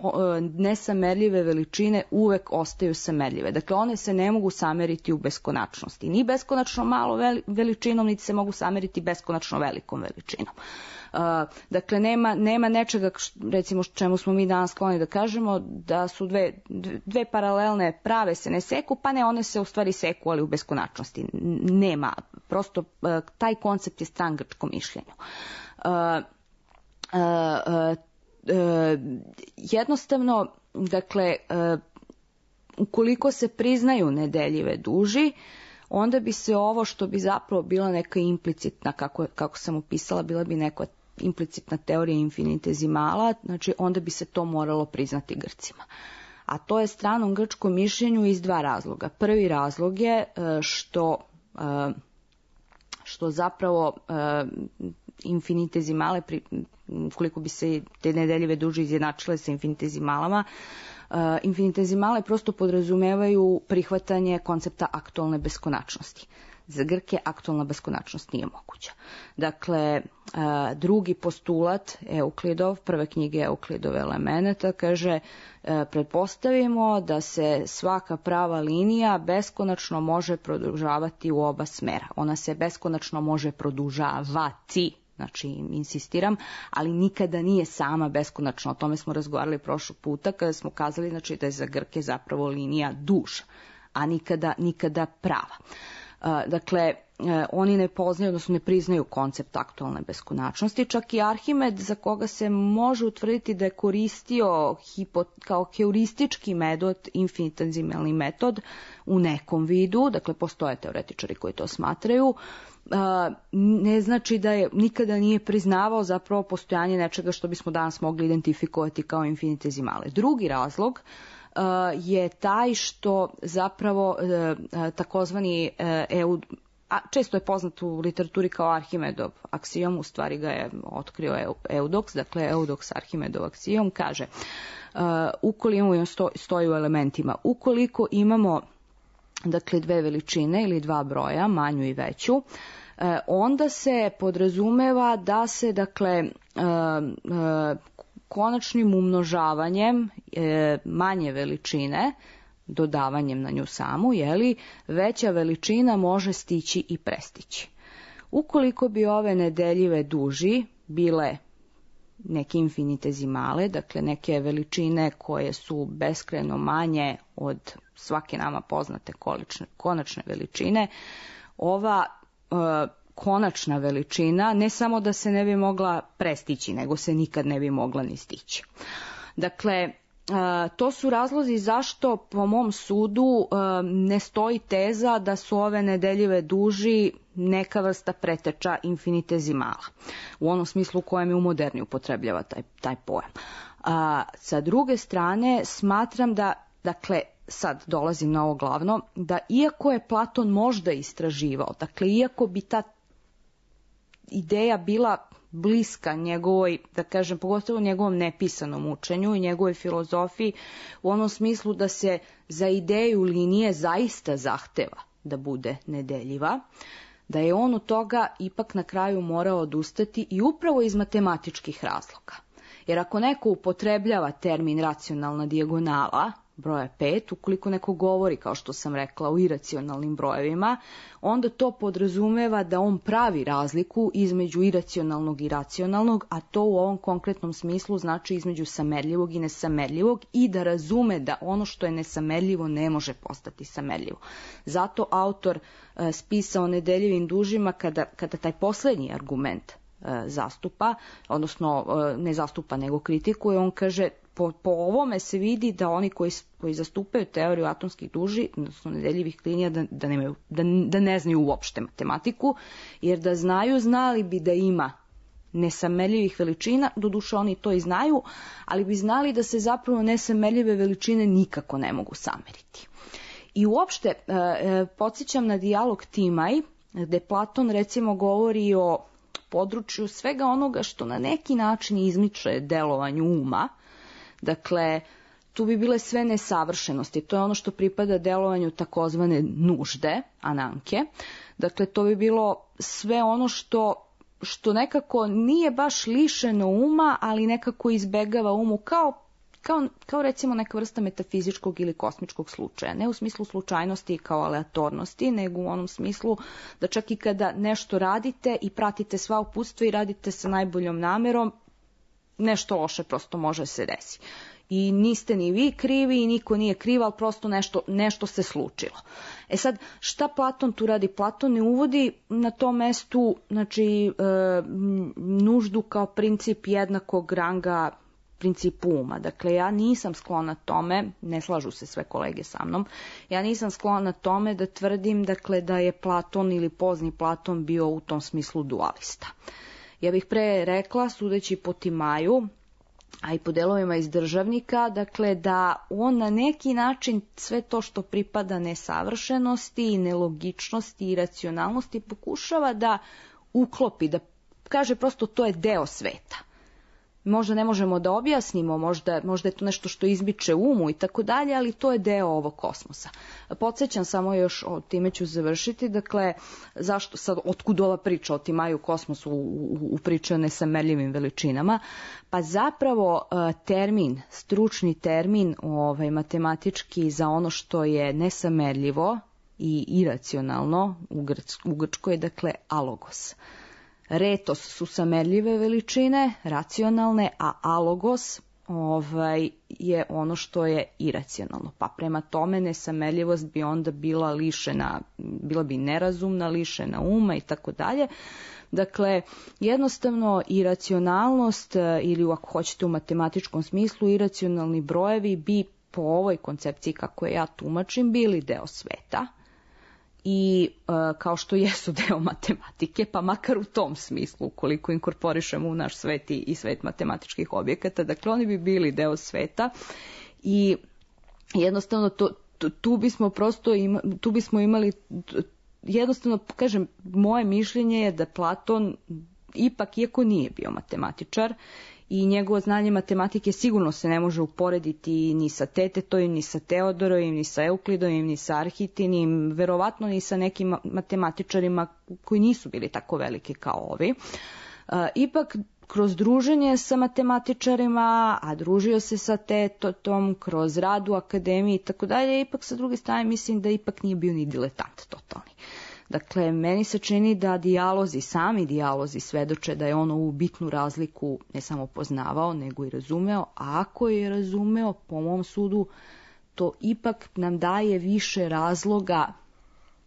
Speaker 5: nesamerljive veličine uvek ostaju samerljive. Dakle, one se ne mogu sameriti u beskonačnosti, ni beskonačno malo veličinom, niti se mogu sameriti beskonačno velikom veličinom. Dakle, nema nečega, recimo čemu smo mi danas skloni da kažemo da su dve paralelne prave se ne seku, pa ne, one se u stvari seku, ali u beskonačnosti. Nema, prosto taj koncept je stran grčkom mišljenju. Jednostavno, dakle, ukoliko se priznaju nedeljive duži, onda bi se ovo što bi zapravo bila neka implicitna, kako sam opisala, bila bi neka implicitna teorija infinitezimala, znači onda bi se to moralo priznati Grcima. A to je stranom grčkom mišljenju iz dva razloga. Prvi razlog je što zapravo infinitezimale, koliko bi se te nedeljive duže izjednačile sa infinitezimalama, infinitezimale prosto podrazumevaju prihvatanje koncepta aktualne beskonačnosti. Za Grke aktualna beskonačnost nije moguća. Dakle, drugi postulat Euklidov, prve knjige Euklidove elemenata, kaže pretpostavimo da se svaka prava linija beskonačno može produžavati u oba smera. Ona se beskonačno može produžavati, znači insistiram, ali nikada nije sama beskonačna. O tome smo razgovarali prošlog puta kada smo kazali, znači, da je za Grke zapravo linija duža, a nikada prava. Dakle, oni ne poznaju, odnosno ne priznaju koncept aktualne beskonačnosti. Čak i Arhimed, za koga se može utvrditi da je koristio kao heuristički metod, infinitezimalni metod u nekom vidu, dakle postoje teoretičari koji to smatraju, ne znači da je nikada nije priznavao zapravo postojanje nečega što bismo danas mogli identifikovati kao infinitezimale. Drugi razlog je taj što zapravo takozvani često je poznat u literaturi kao Arhimedov aksiom, u stvari ga je otkrio Eudoks, dakle Eudoks Arhimedov aksiom kaže ukoliko stoji u elementima, ukoliko imamo dakle dve veličine ili dva broja, manju i veću, onda se podrazumeva da se dakle konačnim umnožavanjem manje veličine, dodavanjem na nju samu, veća veličina može stići i prestići. Ukoliko bi ove nedeljive duži bile neke infinitezimale, dakle neke veličine koje su beskrajno manje od svake nama poznate konačne veličine, ova konačna veličina ne samo da se ne bi mogla prestići, nego se nikad ne bi mogla ni stići. Dakle, to su razlozi zašto po mom sudu ne stoji teza da su ove nedeljive duži neka vrsta preteča infinitezimala, u onom smislu u kojem je u moderni upotrebljava taj pojam. Sa druge strane, smatram da, dakle, sad dolazim na ovo glavno, da iako je Platon možda istraživao, dakle, iako bi ta ideja bila bliska njegovoj, da kažem, pogotovo njegovom nepisanom učenju i njegovoj filozofiji, u onom smislu da se za ideju linije zaista zahteva da bude nedeljiva, da je on od toga ipak na kraju morao odustati i upravo iz matematičkih razloga. Jer ako neko upotrebljava termin racionalna dijagonala broja 5, ukoliko neko govori, kao što sam rekla, o iracionalnim brojevima, onda to podrazumeva da on pravi razliku između iracionalnog i racionalnog, a to u ovom konkretnom smislu znači između samerljivog i nesamerljivog, i da razume da ono što je nesamerljivo ne može postati samerljivo. Zato autor spisa o nedeljivim dužima, kada taj poslednji argument zastupa, odnosno ne zastupa nego kritikuje, on kaže po ovome se vidi da oni koji zastupaju teoriju atomskih duži, odnosno nedeljivih linija, da ne znaju uopšte matematiku, jer da znaju, znali bi da ima nesamerljivih veličina, doduše oni to i znaju, ali bi znali da se zapravo nesamerljive veličine nikako ne mogu sameriti. I uopšte podsjećam na dijalog Timaj, gde Platon recimo govori o području svega onoga što na neki način izmiče delovanju uma. Dakle, tu bi bile sve nesavršenosti. To je ono što pripada delovanju takozvane nužde, ananke. Dakle, to bi bilo sve ono što nekako nije baš lišeno uma, ali nekako izbegava umu kao recimo neka vrsta metafizičkog ili kosmičkog slučaja. Ne u smislu slučajnosti kao aleatornosti, nego u onom smislu da čak i kada nešto radite i pratite sva uputstva i radite sa najboljom namerom, nešto loše prosto može se desiti. I niste ni vi krivi i niko nije kriv, ali prosto nešto se slučilo. E sad, šta Platon tu radi? Platon ne uvodi na tom mestu, znači, nuždu kao princip jednakog ranga principu uma. Dakle, ja nisam sklona tome, ne slažu se sve kolege sa mnom, ja nisam sklona tome da tvrdim, dakle, da je Platon ili pozni Platon bio u tom smislu dualista. Ja bih pre rekla, sudeći po Timaju, a i po delovima iz Državnika, dakle da on na neki način sve to što pripada nesavršenosti i nelogičnosti i racionalnosti pokušava da uklopi, da kaže prosto to je deo sveta. možda ne možemo da objasnimo, možda je to nešto što izbiče umu i tako dalje, ali to je deo ovog kosmosa. Podsjećam samo još, time ću završiti, dakle, zašto sad, otkud ova priča o Timaju kosmosu u priči o nesamerljivim veličinama? Pa zapravo stručni termin matematički za ono što je nesamerljivo i iracionalno u Grčkoj je, dakle, alogos. Retos su samerljive veličine, racionalne, a alogos je ono što je iracionalno. Pa prema tome nesamerljivost bi onda bila bi nerazumna, lišena uma i tako dalje. Dakle, jednostavno iracionalnost, ili ako hoćete u matematičkom smislu, iracionalni brojevi bi po ovoj koncepciji kako je ja tumačim bili deo sveta, i kao što jesu deo matematike, pa makar u tom smislu, ukoliko inkorporišemo u naš svet i svet matematičkih objekata, dakle oni bi bili deo sveta i jednostavno tu bismo imali, jednostavno, kažem, moje mišljenje je da Platon ipak, iako nije bio matematičar, i njegovo znanje matematike sigurno se ne može uporediti ni sa Tetetovim, ni sa Teodorovim, ni sa Euklidovim, ni sa Arhitinim, verovatno ni sa nekim matematičarima koji nisu bili tako veliki kao ovi. Ipak, kroz druženje sa matematičarima, a družio se sa Tetotom, kroz rad u akademiji i tako dalje, ipak sa druge strane mislim da ipak nije bio ni diletant totalni. Dakle, meni se čini da sami dijalozi svedoče da je on ovu bitnu razliku ne samo poznavao, nego i razumeo, a ako je razumeo, po mom sudu, to ipak nam daje više razloga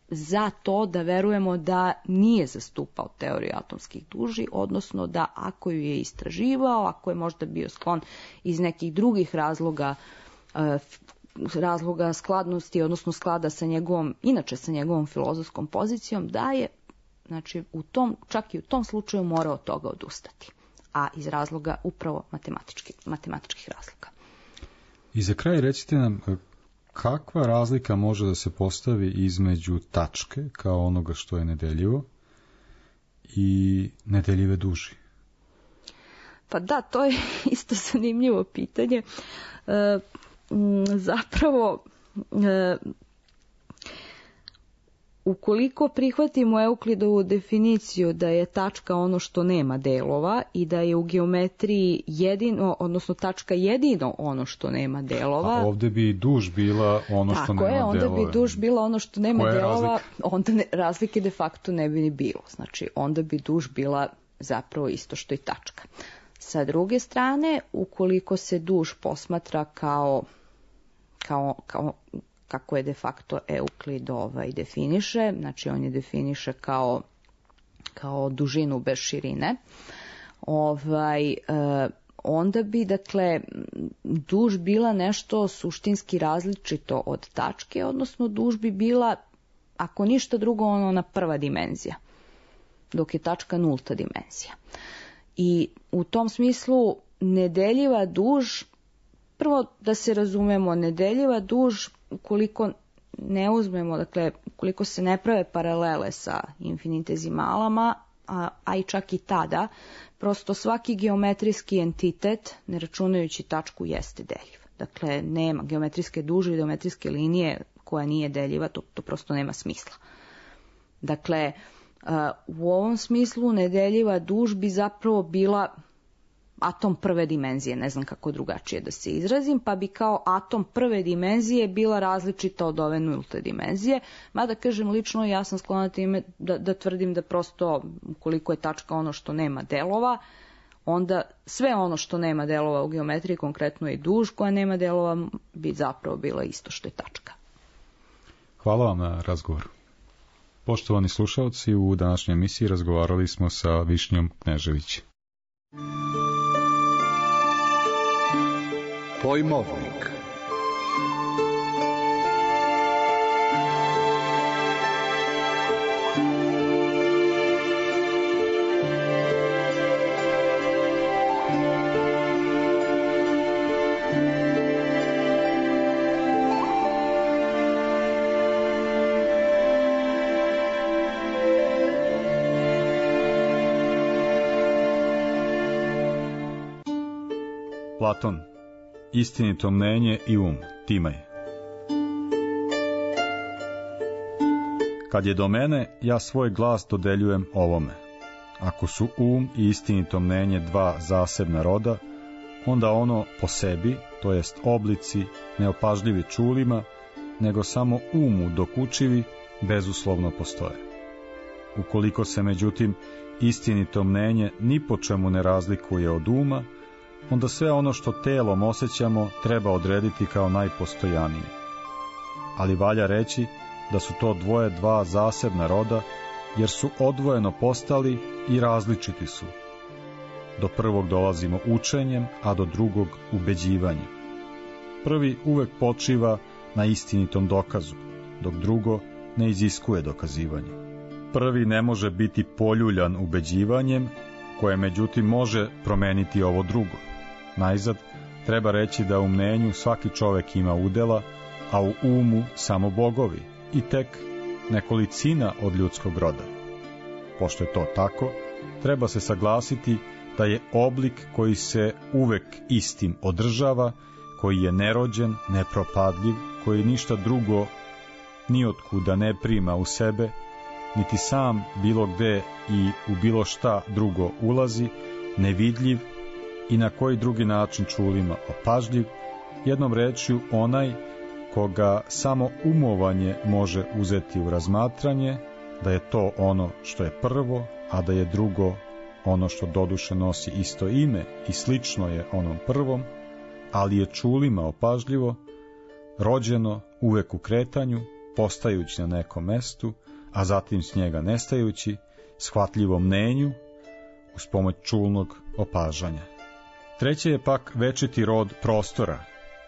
Speaker 5: za to da verujemo da nije zastupao teoriju atomskih duži, odnosno da ako ju je istraživao, ako je možda bio sklon iz nekih drugih razloga skladnosti, odnosno sklada sa njegovom filozofskom pozicijom, da je, znači, čak i u tom slučaju morao od toga odustati. A iz razloga upravo matematičkih razloga.
Speaker 4: I za kraj recite nam, kakva razlika može da se postavi između tačke, kao onoga što je nedeljivo, i nedeljive duži?
Speaker 5: Pa da, to je isto zanimljivo pitanje. Zapravo, ukoliko prihvatimo Euklidovu definiciju da je tačka ono što nema delova i da je u geometriji tačka jedino ono što nema delova.
Speaker 4: A ovde bi duž bila ono što nema delova.
Speaker 5: Onda bi duž bila ono što nema delova, onda razlike de facto ne bi ni bilo. Znači, onda bi duž bila zapravo isto što i tačka. Sa druge strane, ukoliko se duž posmatra kao kako je de facto Euklid definiše, znači on je definiše kao dužinu bez širine, onda bi, dakle, duž bila nešto suštinski različito od tačke, odnosno duž bi bila, ako ništa drugo, ona prva dimenzija, dok je tačka nulta dimenzija. I u tom smislu nedeljiva duž, prvo da se razumemo, nedeljiva duž, ukoliko ne uzmemo, dakle, ukoliko se ne prave paralele sa infinitezimalama, a i čak i tada, prosto svaki geometrijski entitet, ne računajući tačku, jeste deljiv. Dakle, nema geometrijske duže i geometrijske linije koja nije deljiva, to prosto nema smisla. Dakle, u ovom smislu nedeljiva duž bi zapravo bila atom prve dimenzije, ne znam kako drugačije da se izrazim, pa bi kao atom prve dimenzije bila različita od ove nulte dimenzije, mada kažem lično ja sam sklona time da tvrdim da prosto ukoliko je tačka ono što nema delova, onda sve ono što nema delova u geometriji, konkretno i duž koja nema delova, bi zapravo bila isto što je tačka.
Speaker 4: Hvala vam na razgovoru. Poštovani slušalci, u današnjoj emisiji razgovarali smo sa Višnjom Knežević.
Speaker 2: Pojmovnik.
Speaker 4: Platon, istinito mnenje i Timaj. Kad je do mene, ja svoj glas dodeljujem ovome. Ako su i istinito mnenje dva zasebna roda, onda ono po sebi, to jest oblici, ne opažljivi čulima, nego samo dokučivi, bezuslovno postoje. Ukoliko se, međutim, istinito mnenje ni po čemu ne razlikuje od onda sve ono što telom osjećamo treba odrediti kao najpostojanije. Ali valja reći da su to dva zasebna roda, jer su odvojeno postali i različiti su. Do prvog dolazimo učenjem, a do drugog ubeđivanjem. Prvi uvek počiva na istinitom dokazu, dok drugo ne iziskuje dokazivanje. Prvi ne može biti poljuljan ubeđivanjem, koje međutim može promeniti ovo drugo. Najzad, treba reći da u mnenju svaki čovek ima udela, a u samo bogovi i tek nekolicina od ljudskog roda. Pošto je to tako, treba se saglasiti da je oblik koji se uvek istim održava, koji je nerođen, nepropadljiv, koji ništa drugo nijotkuda ne prima u sebe, niti sam bilo gde i u bilo šta drugo ulazi, nevidljiv i na koji drugi način čulima opažljiv, jednom rečju onaj koga samo umovanje može uzeti u razmatranje, da je to ono što je prvo, a da je drugo ono što doduše nosi isto ime i slično je onom prvom, ali je čulima opažljivo, rođeno uvek u kretanju, postajući na nekom mestu, a zatim s njega nestajući, shvatljivo mnenju, uz pomoć čulnog opažanja. Treće je pak večiti rod prostora,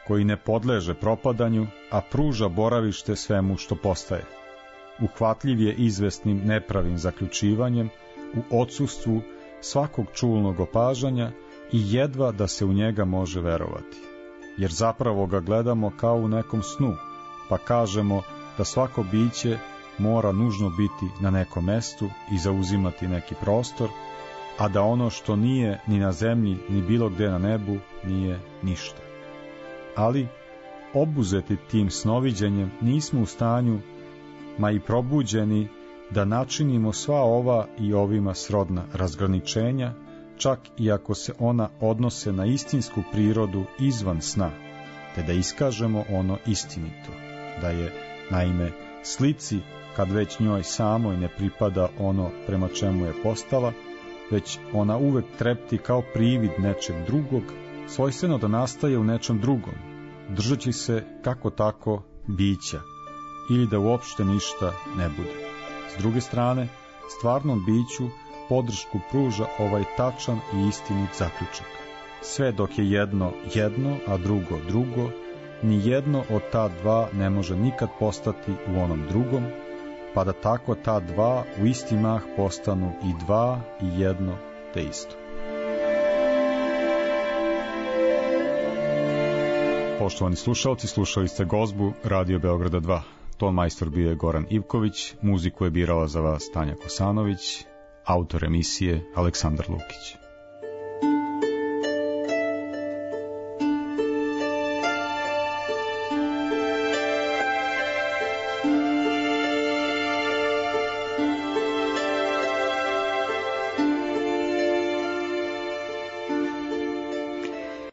Speaker 4: koji ne podleže propadanju, a pruža boravište svemu što postaje. Uhvatljiv je izvesnim nepravim zaključivanjem u odsustvu svakog čulnog opažanja i jedva da se u njega može verovati. Jer zapravo ga gledamo kao u nekom snu, pa kažemo da svako biće mora nužno biti na nekom mestu i zauzimati neki prostor, a da ono što nije ni na zemlji, ni bilo gde na nebu, nije ništa. Ali, obuzeti tim snoviđenjem, nismo u stanju, ma i probuđeni, da načinimo sva ova i ovima srodna razgraničenja, čak i ako se ona odnose na istinsku prirodu izvan sna, te da iskažemo ono istinito, da je, naime, slici, kad već njoj samoj ne pripada ono prema čemu je postala, već ona uvek trepti kao privid nečeg drugog, svojstveno da nastaje u nečem drugom, držeći se kako tako bića, ili da uopšte ništa ne bude. S druge strane, stvarnom biću podršku pruža ovaj tačan i istinit zaključak. Sve dok je jedno, a drugo, ni jedno od ta dva ne može nikad postati u onom drugom, pa da tako ta dva u isti mah postanu i dva i jedno te isto. Poštovani slušalci, slušali ste gozbu Radio Beograda 2. Ton majstor bio je Goran Ivković, muziku je birala za vas Tanja Kosanović, autor emisije Aleksandar Lukić.